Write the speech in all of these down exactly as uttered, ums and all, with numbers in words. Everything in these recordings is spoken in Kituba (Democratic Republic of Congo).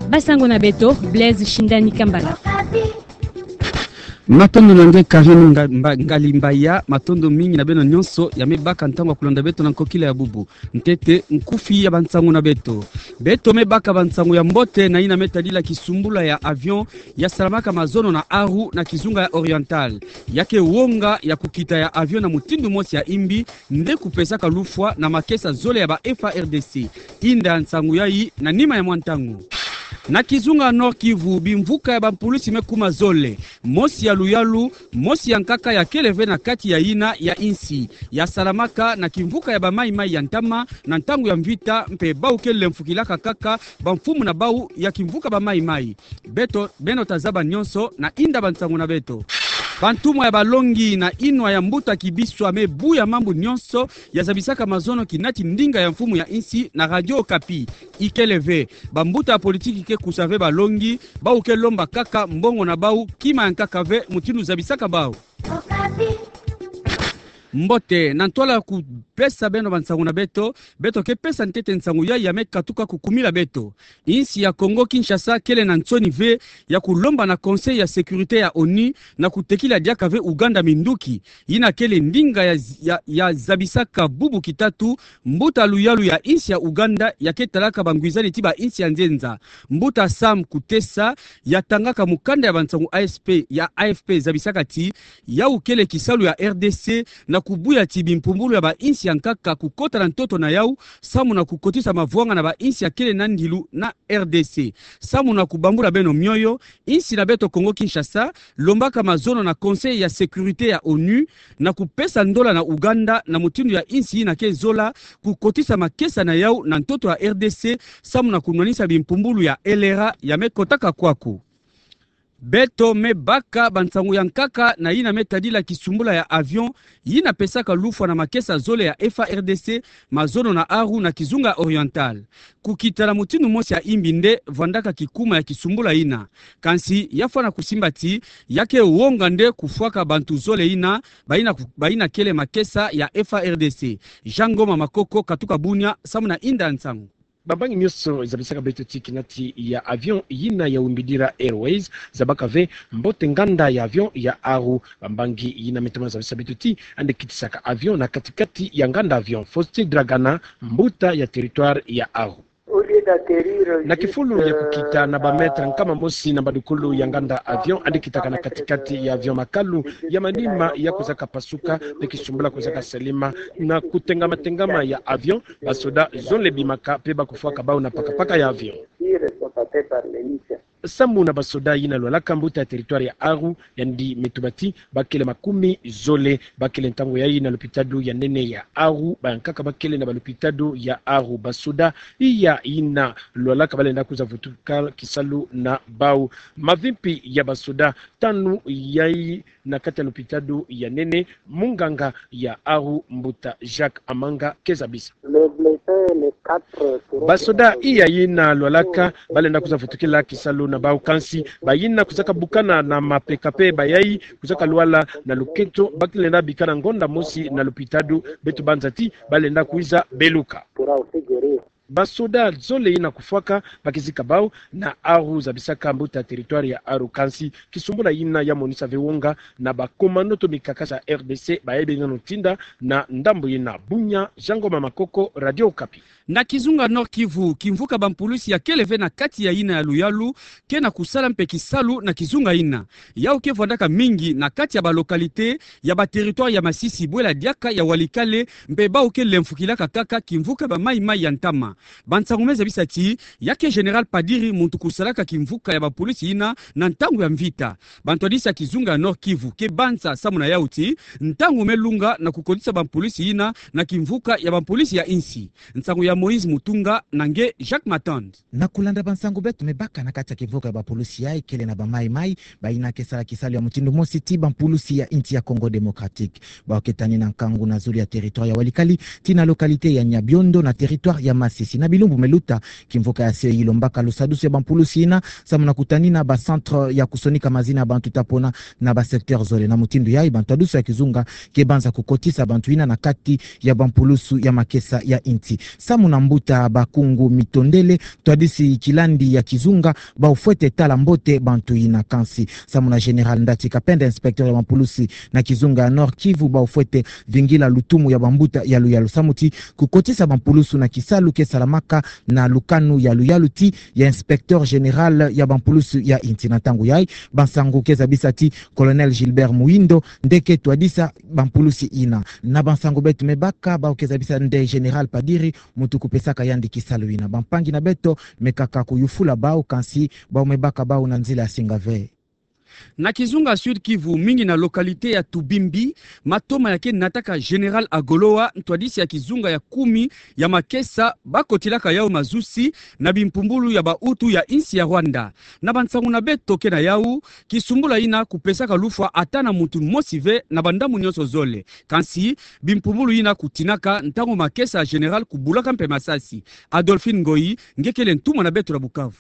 Basango na beto, Blaise Shindani Kambala. Matondo na nge Karine Nga-, Mba-, Ngali Mbaya, matondo mingi na beno nyonso ya me baka ntangu ya kulanda beto na nkokila ya bubu. Ntete nkufi ya bansango na beto. Beto me baka bansango ya mbote na yina me tadila kisumbula ya avion ya salamaka mazono na Aru na kizunga ya Oriental. Ya ke wonga ya kukita ya avion na mutindu mosi ya imbi, nde kupesaka lufwa na makesa zole ya ba F A R D C. Inda nsangu yayi na nima ya mwa ntangu. Na kizunga Nord-Kivu, bimvuka ya bampulusi me kuma zole. Mosi ya luyalu, mosi ya nkaka ya kele ve na kati ya yina ya insi. Ya salamaka na kimvuka ya ba Mai-Mai ya ntama, na ntangu ya mvita, mpe bau ke lemfukilaka kaka bamfumu na bau ya kimvuka ba Mai-Mai. Beto, beno ta zaba nyonso na inda bansango na beto. Bantumwa ya balongi na inwa ya mbuta Kibiswa me buya mambu nyonso ya zabisaka mazono kinati ndinga ya mfumu ya insi na Radio Okapi. Ikele ve, bambuta ya politiki ke kusa ve balongi, bau ke lomba kaka mbongo na bau, kima ya nkaka ve, mutindu zabisaka bau. Mbote, na ntwala ya kupesa beno bansango na beto, beto ke pesa ntete nsangu yayi ya me katuka kukumila beto. Insi ya Congo Kinshasa kele na nsoni ve ya kulomba na Conseil ya Sécurité ya ONU na kutekila diaka ve Ouganda minduki. Yina kele ndinga ya, ya, ya zabisaka bubu kitatu, mbuta luyalu ya insi ya Ouganda ya ke talaka bangwizani ti ba insi ya nzenza. Mbuta Sam Kutesa ya tangaka mukanda ya bansangu A S P ya A F P zabisaka ti, yau kele kisalu ya R D C na kubuya ti bimpumbulu ya ba insi ya nkaka kukota na ntoto na yau, samu na kukotisa mavwanga na ba insi ya kele na ndilu na R D C. Samu na kubambula beno mioyo, insi na beto Congo Kinshasa lombaka mazono na Conseil ya Sécurité ya ONU na kupesa ndola na Ouganda na mutindu ya insi yina ke zola kukotisa makesa na yau na ntoto ya R D C, samu na kunwanisa bimpumbulu ya elera ya me kotaka kwaku. Beto me baka bansangu ya nkaka na yina me tadila kisumbula ya avion yina pesaka lufwa na makesa zole ya F A R D C, mazono na Aru na kizunga Oriental. Kukita na mutindu mosi ya imbi nde vwandaka kikuma ya kisumbula yina. Kansi ya fwana kusimba ti, ya ke wonga nde kufwaka bantu zole yina, bayina ku-, bayina kele makesa ya F A R D C. Jean Ngoma Makoko katuka Bunia, samu na inda nsangu. Bambangi nyonso zabisaka beto ti kinati ya avion yina ya Wimbidira Airways zabaka ve mbote nganda ya avion ya Aru. Bambangi yina me toma zabisa beto ti ande kitisaka avion na kati-kati ya nganda avion. Faustin Dragana, mbuta ya territoire ya Aru. Na kifulu ya kukita na ba mètre nkama mosi na mbadukulu ya nganda avion, ande kitaka na kati-kati ya avion makalu ya manima ya kuzaka pasuka, mpe kisumbula kuzaka salima. Na kutengama-tengama ya avion, basoda zole bimaka mpe bakufwaka bau na paka-paka ya avion. Samu na basoda yina lwalaka, mbuta ya territoire ya Aru yandi me tuba ti bakele makumi zole. Bakele ntangu yayi na lopitalo ya nene ya Aru, bayankaka bakele na balopitalo ya Aru. Basoda iya yina lwalaka balenda kuza vutuka kisalu na bau. Mavimpi ya basoda tanu yayi na kati ya lopitalo ya nene, munganga ya Aru, mbuta Jacques Amanga, ke zabisa. Basoda iya yina lwalaka balenda kuza vutukila kisalu na bau, kansi bayina kuzaka bukana na mapeka mpe bayayi kuzaka lwala na lukento, bakelenda bikana ngonda mosi na lopitalo. Beto banza ti balenda kwiza beluka. Basoda zole yina kufwaka bakizika bau na Aru, zabisaka mbuta territoire ya Aru. Kansi kisumbula yina ya monisa ve wonga na ba commando to mikakasa R D C baye beno tinda na ndambu yina. Bunia, Jean Ngoma Makoko, Radio Okapi. Na kizunga Nord-Kivu, kimvuka bampulusi ya kele ve na kati ya yina ya luyalu ke na kusala mpe kisalu na kizunga yina. Yau ke vwandaka mingi na kati ya balocalité ya ba territoire ya Masisi, bwela diaka ya Walikale, mpe bau ke lemfukilaka kaka kimvuka ba Mai-Mai ya ntama. Bansangu me zabisa ti ya ke Général Padiri muntu kusalaka kimvuka ya bampulusi yina na ntangu ya mvita. Bantwadisi ya kizunga ya Nord-Kivu ke banza samu na yau ti ntangu me lunga na kukotisa bampulusi yina na kimvuka ya bampulusi ya insi. Nsangu ya Moïse Mutunga na nge Jacques Matand. Na kulanda bansangu beto me baka na kati ya kimvuka ya bampulusi yayi kele na ba Mai-Mai, bayina ke sala kisalu ya mutindu mosi ti bampulusi ya insi ya Congo Démocratique. Bau ke tani na nkangu na zulu ya territoire ya Walikale, tii na localité ya Nyabiondo na territoire ya Masisi. Si na bilumbu me luta, kimvuka ya C I lombaka lusadusu ya bampulusi ina, samu na kutanina ba centre ya kusonika mazina ya bantu ta pona na ba secteur zole. Na mutindu yayi, bantwadisi ya kizunga ke banza kukotisa bantu ina na kati ya bampulusu ya makesa ya insi. Samu na mbuta Bakungu Mitondele, ntwadisi kilandi ya kizunga, bau fwete tala mbote bantu ina, kansi samu na Général Ndati Kapenda, inspecteur ya bampulusi na kizunga ya Nord-Kivu, bau fwete vingila lutumu ya bambuta ya luyalu samu ti kukotisa bampulusu na kisalu ke salamaka na lukanu ya luyalu ti ya inspecteur général ya bampulusu ya insi. Na ntangu yayi, bansangu ke zabisa ti Colonel Gilbert Muhindo nde ke twadisa bampulusi ina. Na bansangu beto me baka, bau ke zabisa nde Général Padiri muntu kupesaka yandi kisalu ina. Bampangi na beto me kaka kuyufula bau, kansi bau me baka bau na nzila ya singa ve. Na kizunga Sud-Kivu, mingi na localité ya Tubimbi, matoma ya ke nataka Général Agoloa, ntwadisi ya kizunga ya kumi ya makesa, bakotilaka yau mazusi na bimpumbulu ya ba Hutu ya insi ya Rwanda. Na bansangu na beto ke na yau, kisumbula ina kupesaka lufwa ata na muntu mosi ve na bandambu nyonso zole. Kansi bimpumbulu ina kutinaka ntangu makesa ya Général kubulaka mpe masasi. Adolphine Ngoyi nge kele ntumwa na beto na Bukavu.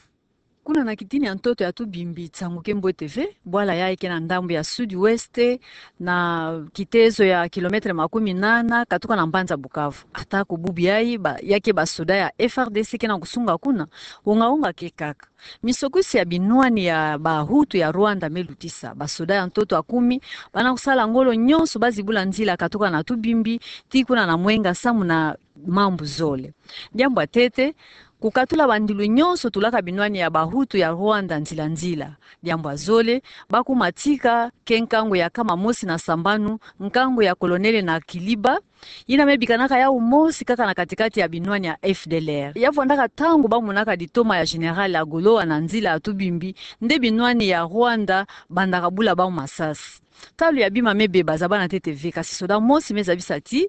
Kuna na kitini ya ntoto ya Tubimbi, nsangu ke mbote ve. Bwala yayi ke na ndambu ya sud-ouest, na kitezo ya kilomètre makumi nana katuka na mbanza Bukavu. Atako bubu yayi ba, ya ke basoda ya F R D C ke na kusunga kuna, wonga-wonga ke kaka. Misokusi ya binwani ya ba Hutu ya Rwanda me lutisa. Basoda ya ntoto ya kumi bana kusala ngolo nyonso bazibula nzila katuka na Tubimbi tii kuna na Mwenga samu na mambu zole. Diambu ya ntete, kukatula bandilu nyonso tulaka binwani ya ba Hutu ya Rwanda nzila-nzila. Diambu ya zole, bakuma tika ke nkangu ya nkama mosi na sambanu, nkangu ya Colonel Nakiliba, ina me bikanaka yau mosi kaka na kati-kati ya binwani ya F D L R. Ya vwandaka ntangu bamonaka ditoma ya Général Agoloa na nzila ya Tubimbi, nde binwani ya Rwanda bandaka bula bau masasi. Talu ya bima me beba, zabana ntete ve, kasi soda mosi me zabisa ti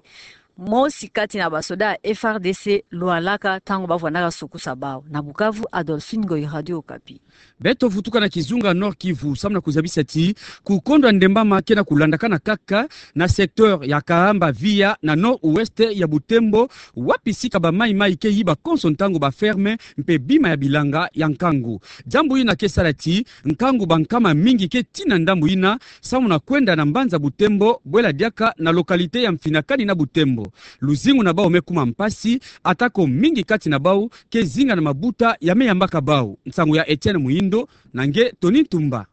mosi kati na basoda ya F R D C lwalaka ntangu bavwandaka sokusa bau. Na Bukavu, Adolphine Ngoyi, Radio Okapi. Beto vutuka na kizunga Nord-Kivu samu na kuzabisa ti kukondwa ndembama ke na kulandakana kaka na secteur ya Kahamba Via na nord-ouest ya Butembo, wapi sika ba Mai-Mai ke yiba konso ntangu ba ferme mpe bima ya bilanga ya nkangu. Diambu ina ke sala ti nkangu bankama mingi ke tina ndambu ina samu na kwenda na mbanza Butembo, bwela diaka na localité ya Mfinakani na Butembo. Luzingu na bau me kuma mpasi, atako mingi kati na bau ke zinga na mabuta ya me yambaka bau. Nsangu ya Etienne Muhindo na nge Tony Ntumba.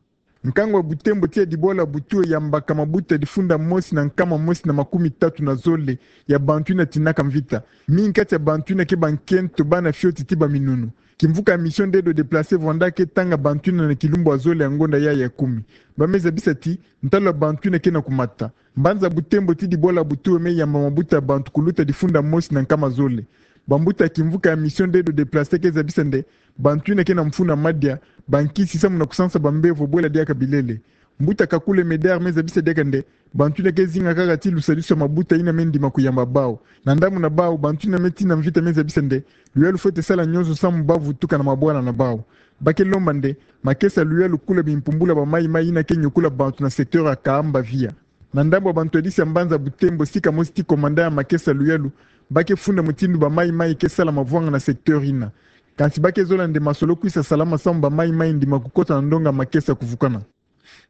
Nkangu ya Butembo tii ya Dibwala Butuwe yambaka mabuta difunda mosi na nkama mosi na makumi tatu na zole ya bantu ina tinaka mvita. Mingi kati ya bantu ina ke bankento, bana fioti tii baminunu. Kimvuka ya Mission d'Aide aux Déplacés vwanda ke tanga bantu ina na kilumbu ya zole ya ngonda yayi ya kumi. Ba me zabisa ti ntalu ya bantu ina ke na kumata. Mbanza Butembo tii Dibwala Butuwe me yamba mabuta ya bantu kuluta difunda mosi na nkama zole. Bambuta ya kimvuka ya Mission d'Aide aux Déplacés ke zabisa nde bantu ina ke na mfunu ya madia, bankisi samu na kusansa bambevo bwela diaka bilele. Mbuta Kakule Medard me zabisa diaka nde bantu ina ke zinga kaka tii lusadusu ya mabuta ina me ndima kuyamba bau. Na ndambu na bau, bantu ina me tina mvita me zabisa nde luyalu fwete sala nyonso samu bavutuka na mabwala na bau. Ba ke lomba nde makesa luyalu kula bimpumbulu ya ba Mai-Mai ina ke nyokula bantu na secteur ya Kahamba Via. Na ndambu ya bantwadisi ya mbanza Butembo, sika mosi tii commandant ya makesa luyalu, ba ke funda mutindu ba Mai-Mai ke sala mavwanga na secteur ina. Kansi ba ke zola nde masolo kwisa salama samu ba Mai-Mai ndima kukota na ndonga makesa kuvukana.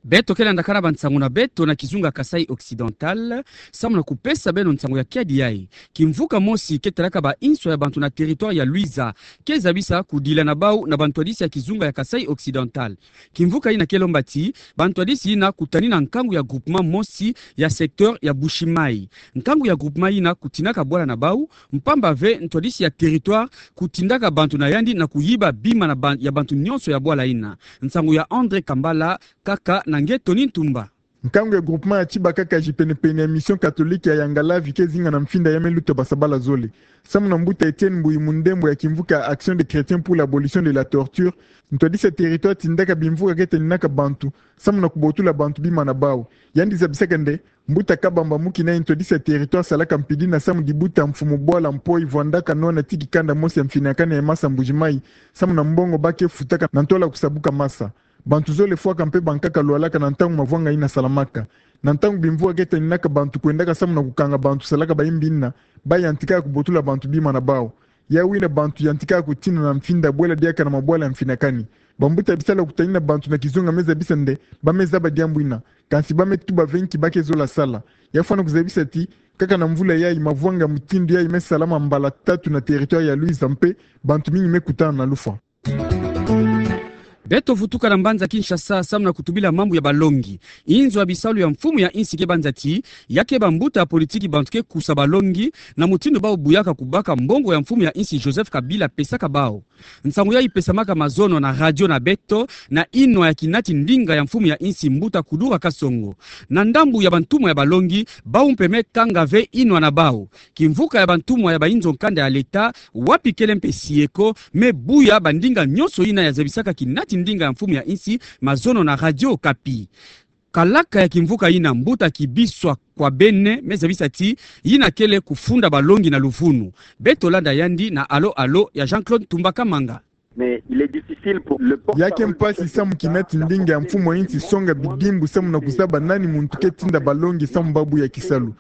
Beto ke landakana bansangu na beto na kizunga Kasaï Occidental, samu na kupesa beno nsangu ya kiadi yayi. Kimvuka mosi ke talaka ba inswa ya bantu na territoire ya Luiza ke zabisa kudila na bau na bantwadisi ya kizunga ya Kasaï Occidental. Kimvuka ina ke lomba ti bantwadisi ina kutanina nkangu ya groupement mosi ya secteur ya Bushi-Mayi. Nkangu ya groupement ina kutinaka bwala na bau, mpamba ve ntwadisi ya territoire kutindaka bantu na yandi na kuyiba bima na ban-, ya bantu nyonso ya bwala ina. Nsangu ya André Kambala, kaka na nge Tony Ntumba. Nkangu ya groupement ya Tshibakakaji penepene ya mission catholique ya Yangalavi ke zinga na mfinda ya me luta basabala zole. Samu na mbuta Etienne Mbuyi Mundembo ya kimvuka ya Action des Chrétiens pour l'abolition de la torture, ntwadisi ya territoire tindaka bimvuka ke taninaka bantu samu na kubotula bantu bima na bau. Yandi zabisaka nde mbuta Kabamba Mukina, ntwadisi ya territoire, salaka mpidi na samu dibuta mfumu bwala Mpoyi vwandaka nwana tii kanda mosi ya Mfinakani ya masa Mbuji-Mayi, samu na mbongo ba ke futaka na ntwala kusabuka masa. Bantu zole fwaka mpe bankaka lwalaka na ntangu mavwanga ina salamaka. Na ntangu bimvuka ke taninaka bantu kwendaka samu na kukanga bantu salaka bayimbi ina, ba yantikaka kubotula bantu bima na bau. Yawu ina bantu yantika kutina na mfinda bwela diaka na mabwala ya mfinakani. Bambuta bisalu ya kutani na bantu na kizunga me zabisa nde ba me zaba diambu ina. Kansi ba me tuba ve nki ba ke zola sala. Ya fwana kuzabisa ti, kaka na mvula yayi, mavwanga mutindu yayi me salama mbala tatu na territoire ya Luiza mpe bantu mingi me kutana na lufwa. Beto vutuka na mbanza Kinshasa samu na kutubila mambu ya balongi. Inzo ya bisalu ya mfumu ya insi ke banza ti, ya ke bambuta ya politiki bantu ke kusa balongi, na mutindu bawu buyaka kubaka mbongo ya mfumu ya insi Joseph Kabila pesaka bawu. Nsangu yayi pesamaka mazono na radio na beto, na inwa ya kinati ndinga ya mfumu ya insi mbuta Kudura Kasongo. Na ndambu ya bantumwa ya balongi, bawu mpe me kanga ve inwa na bawu. Kimvuka ya bantumwa ya bainzo nkanda ya leta, wapi kele mpe SIECO, me buya bandinga nyonso ina ya zabisaka kinati ndinga ya mfumu ya insi mazono na Radio Okapi. Kalaka ya kimvuka ina mbuta Kibiswa Kwabene me zabisa ti, ina kele kufunda balongi na luvunu. Beto landa yandi na Allô Allô ya Jean-Claude Tumba Kamanga. Mais il est difficile pour le porte-parole du chef de l'État. Ya ke mpasi samu kinati ndinga ya mfumu ya insi songa bidimbu samu na kuzaba nani muntu ke tinda balongi samu ba buya kisalu.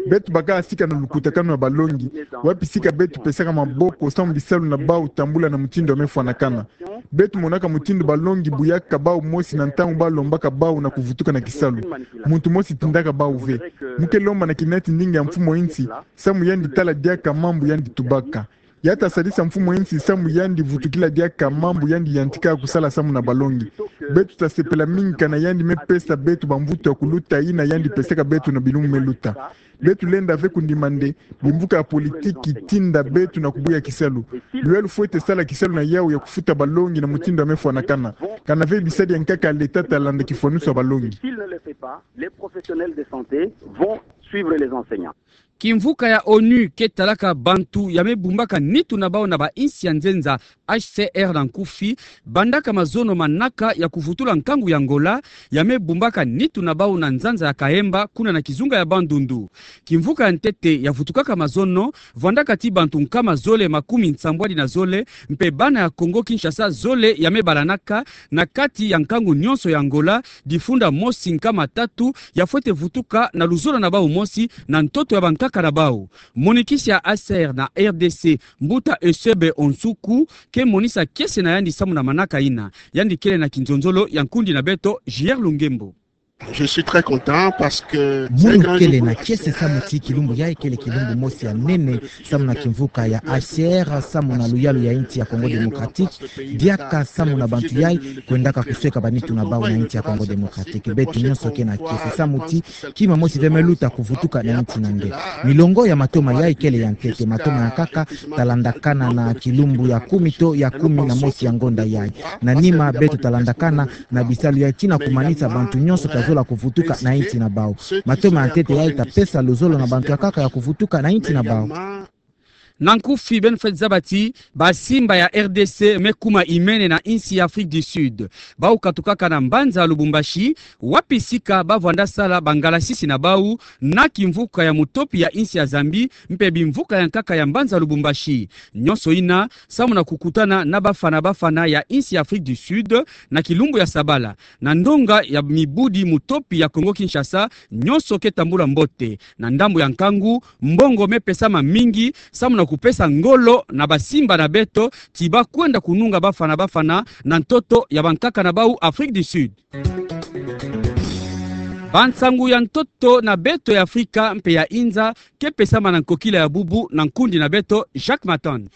Beto bakaka sika na lukutakanu ya balongi, wapi sika beto pesaka maboko samu bisalu na bawu tambula na mutindu ya me fwanakana. Beto monaka mutindu balongi buyaka bawu mosi na ntangu ba lombaka bawu na kuvutuka na kisalu. Muntu mosi tindaka bawu ve. Mu ke lomba na kinati ndinga ya mfumu ya insi, samu yandi tala diaka mambu yandi tubaka. Ya ta sadisa mfumu ya insi samu yandi vutukila diaka mambu yandi yantika kusala samu na balongi. Beto ta sepela mingi kana yandi me pesa beto bamvutu ya kuluta ina yandi pesaka beto na bilumbu me luta. Beto lenda ve kundima nde bimvuka ya politiki tinda beto na kubuya kisalu. Lwe lufwete sala kisalu na yawu ya kufuta balongi na mutindu ya me fwanakana. Kana ve bisadi ya nkaka ya leta ta landa kifwanusu ya balongi. S'il ne le fait pas, les professionnels de santé vont suivre les enseignants. Kimvuka ya ONU ke talaka bantu ya me bumbaka nitu na bawu na bainsi ya nzenza, H C R na nkufi, bandaka mazono manaka ya kuvutula nkangu ya Angola, ya me bumbaka nitu na bawu na nzanza ya Kahemba, kuna na kizunga ya Bandundu. Kimvuka ya ntete ya vutukaka mazono, vwandaka ti bantu nkama zole makumi nsambwadi na zole, mpe bana ya Congo Kinshasa zole ya me balanaka, na kati ya nkangu nyonso ya Angola, difunda mosi nkama tatu ya fwete vutuka na luzolo na bawu mosi na ntoto ya bankaka na bawu. Monikisi ya H C R na R D C, mbuta Eusebe Onsuku, ke monisa kiese na yandi samu na manaka ina. Yandi kele na kinzonzolo ya nkundi na beto, J R Lungembo. Je suis très content parce que mono kele na kiese samu ti kilumbu yayi kele kilumbu mosi ya nene samu na kimvuka ya H C R, samu na luyalu ya insi ya Congo Démocratique, diaka samu na bantu yayi kwendaka kusweka banitu na bawu na insi ya Congo Démocratique. Beto nyonso ke na kiese samu ti kima mosi ve me luta kuvutuka na insi na nge. Milongo ya matoma yayi kele ya ntete, matoma ya nkaka ta landakana na kilumbu ya kumi to ya kumi na mosi ya ngonda yayi. Na nima beto ta landakana na bisalu yayi tii na kumanisa bantu nyonso ta zola kuvutuka na insi na bawu. Matoma ya ntete yayi ta pesa luzolo na bantu ya nkaka ya kuvutuka na insi na bawu. Na nkufi, beno fwete zaba ti basimba ya R D C me kuma imene na insi ya Afrique du Sud. Bawu katukaka na mbanza Lubumbashi, wapi sika ba vwanda sala bangalasisi na bawu na kimvuka ya mutopi ya insi ya Zambie, mpe bimvuka ya nkaka ya mbanza Lubumbashi. Nyonso ina samu na kukutana na bafana bafana ya insi ya Afrique du Sud na kilumbu ya sabala. Na ndonga ya mibudi mutopi ya Congo Kinshasa, nyonso ke tambula mbote. Na ndambu ya nkangu, mbongo me pesama mingi samu na kupesa ngolo na basimba na beto ti ba kwenda kununga bafana bafana na ntoto ya bankaka na bawu Afrique du Sud. Bansangu ya ntoto na beto ya Afrika mpe ya inza ke pesama na nkokila ya bubu na nkundi na beto Jacques Matan.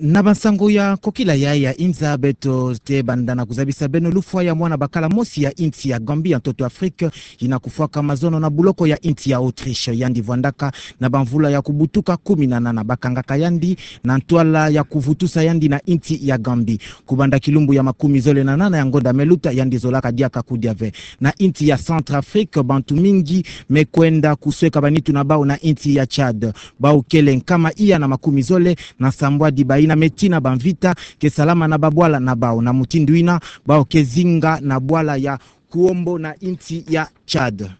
Na bansangu ya nkokila yayi ya inza, beto te banda na kuzabisa beno lufwa ya mwana bakala mosi ya insi ya Gambie ya ntoto Afrique, ina kufwaka mazono na buloko ya insi ya Autriche. Yandi vwandaka na bamvula ya kubutuka kumi na nana, bakangaka yandi na ntwala ya kuvutusa yandi na insi ya Gambie. Kubanda kilumbu ya makumi zole na nana ya ngonda me luta, yandi zolaka diaka kudia ve. Na insi ya Centrafrique, bantu mingi me kwenda kusweka banitu na bawu na insi ya Tchad. Bawu kele nkama iya na makumi zole na sambwadi, bayina me tii na bamvita ke salama na babwala na bawu. Na mutindu ina, bawu ke zinga na bwala ya Kuombo na insi ya Tchad.